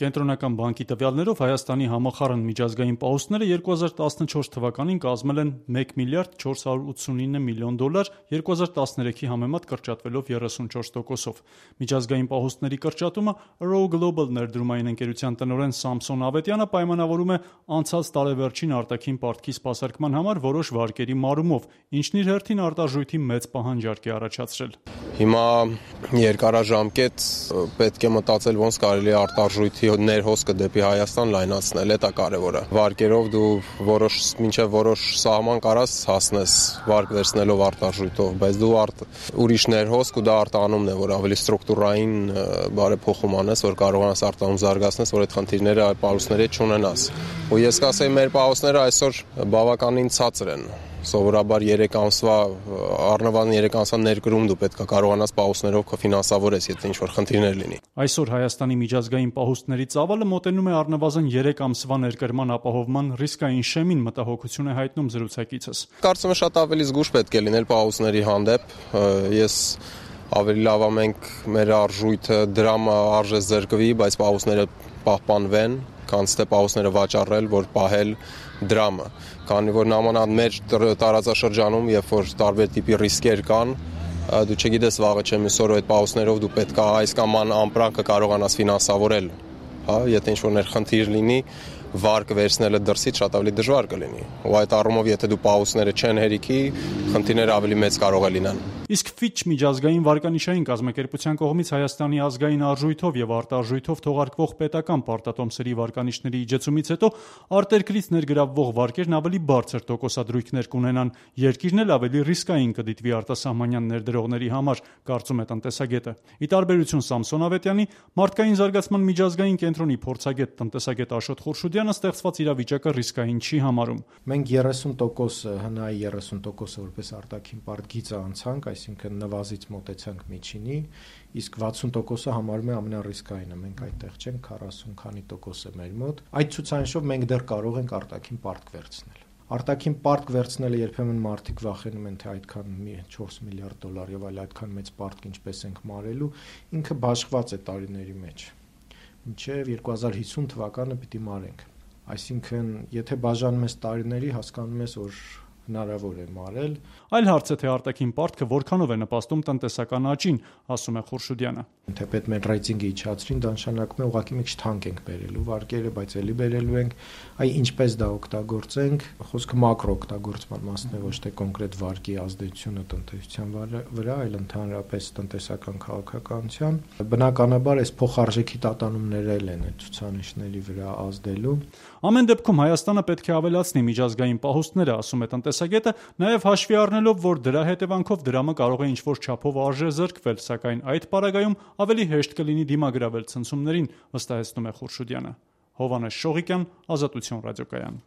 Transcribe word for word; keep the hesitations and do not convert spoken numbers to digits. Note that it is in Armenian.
Կենտրոնական բանկի տվյալներով Հայաստանի համախառն միջազգային պահուստները երկու հազար տասնչորս թվականին կազմել են մեկ միլիարդ չորս հարյուր ութսունինը միլիոն դոլար, երկու հազար տասներեքի համեմատ կրճատվելով երեսունչորս տոկոսով։ Միջազգային պահուստների կրճատումը Row Global ներդրումային ընկերության տնօրեն Սամսոն Ավետյանը պայմանավորում է անցած տարեվերջին արտաքին պարտքի սպասարկման համար որոշ վարկերի մարումով, ինչն իր հերթին արտարժույթի մեծ պահանջարկ է առաջացրել։ Հիմա երկարաժամկետ պետք է մտածել ոնց կարելի է արտարժույթի ներհոսքը դեպի Հայաստան լայնացնել, դա կարևոր է։ Վարկերով դու որոշ մինչև որոշ սահման կարաս հասնես վարկ վերցնելով արտարժույթով, բայց դու արդ ուրիշ ներհոսք ու դա արտանումն է, որ ավելի ստրուկտուրային բարեփոխում անես, որ կարողանաս արտանում զարգացնես, որ այդ խնդիրները պահուստների հետ չունենաս։ Ու ես կասեի մեր պահուստները այսօր բավականին ցածր են։ Սովորաբար երեք ամսվա առնվազն երեք ամսվա ներկրում դու պետք է կարողանաս պահուստներով կֆինանսավորես, եթե ինչ-որ խնդիրներ լինի։ Այսօր Հայաստանի միջազգային պահուստների ծավալը մոտենում է առնվազն երեք ամսվա ներկրման ապահովման ռիսկային շեմին, մտահոգություն է հայտնում զրուցակիցս։ Կարծում եմ շատ ավելի զգուշ պետք է լինել պահուստների հանդեպ։ Ես ավելի լավ է մենք մեր արժույթը դրամը արժե զրկվի, բայց պահուստները պահպանվեն, քան թե պահուստները վաճառել, որ պահել դրամը, քանի որ նամանալ մեր տարածաշրջանում, երբ որ տարբեր տիպի ռիսկեր կան, դու չգիտես վաղը չէ մյուս օրը այդ պահուստներով դու պետք է այս կամ այն ամպրանքը կարողանաս ֆինանսավորել, հա, եթե ինչ-որ ներխնդիր լինի, վարկը վերցնելը դրսից շատ ավելի դժվար կլինի։ Ու այդ առումով եթե դու պահուստները չեն հերիքի, խնդիրները ավելի մեծ կարող է լինեն։ Իսկ Fitch միջազգային վարկանիշային կազմակերպության կողմից Հայաստանի ազգային արժույթով եւ արտարժույթով թողարկվող պետական պարտատոմսերի վարկանիշների իջեցումից հետո արտերկրից ներգրավվող վարկերն ավելի բարձր տոկոսադրույքներ կունենան, երկիրն էլ ավելի ռիսկային կդիտվի արտասահմանյան ներդրողների համար, կարծում է տնտեսագետը։ Ի տարբերություն Սամսոն Ավետյանի, մարդկային զարգացման միջազգային կենտրոնի փորձագետ տնտեսագետ Աշոտ Խուրշուդյանը ստեղծված իրավիճակը ռիսկային չի համարում։ Մենք երեսուն տոկոս հնայի երեսուն տոկոս որպես արտաքին պարտքից անցանք, այսինքն նվազից մոտեցանք միջինի, իսկ վաթսուն տոկոսը համարում է ամենառիսկայինը, մենք այդտեղ չենք, քառասուն քանի տոկոս է մեր մոտ։ Այդ ցուցանիշով մենք դեռ կարող ենք արտաքին պարտք վերցնել։ Արտաքին պարտք վերցնելը երբեմն մարդիկ վախենում են, թե այդքան չորս միլիարդ դոլար եւ այլ այդքան մեծ պարտք ինչպես ենք մարելու, ինքը բաշխված է տարիների մեջ։ Մինչև երկու հազար հիսուն թվականը պիտի մարենք։ Այսինքն, եթե բաժանում ես տարիների, հասկանում ես, որ հնարավոր է մարել։ Այլ հարց է, թե արտաքին պարտքը որքանով է նպաստում տնտեսական աճին, ասում է Խուրշուդյանը։ Թեպետ մեր ռեյտինգը իջացրին, դա նշանակում է ուղղակի մի քիչ թանկ ենք բերելու վարկերը, բայց էլի բերելու ենք, այ ինչպես դա օգտագործենք, խոսքը մակրո օգտագործման մասն է, ոչ թե կոնկրետ վարկի ազդեցությունը տնտեսության վրա, այլ ընդհանրապես տնտեսական քաղաքականության։ Բնականաբար այս փոխարժեքի տատանումները են այդ ցուցանիշների վրա ազդելու։ Ամեն դեպքում Հայաստանը պետք է ավելացնի միջազգային պահուստները, ասում է տնտեսագետը, նաև հաշվի առնելով, որ դրա հետևանքով դրամը կարող է ինչ-որ չափով արժե զրկվել, սակայն այդ պարագայում ավելի հեշտ կլինի դիմագրավել ցնցումներին, վստահեցնում է Խուրշուդյանը։ Հովհաննես Շողիկյան, Ազատություն ռադիոկայան։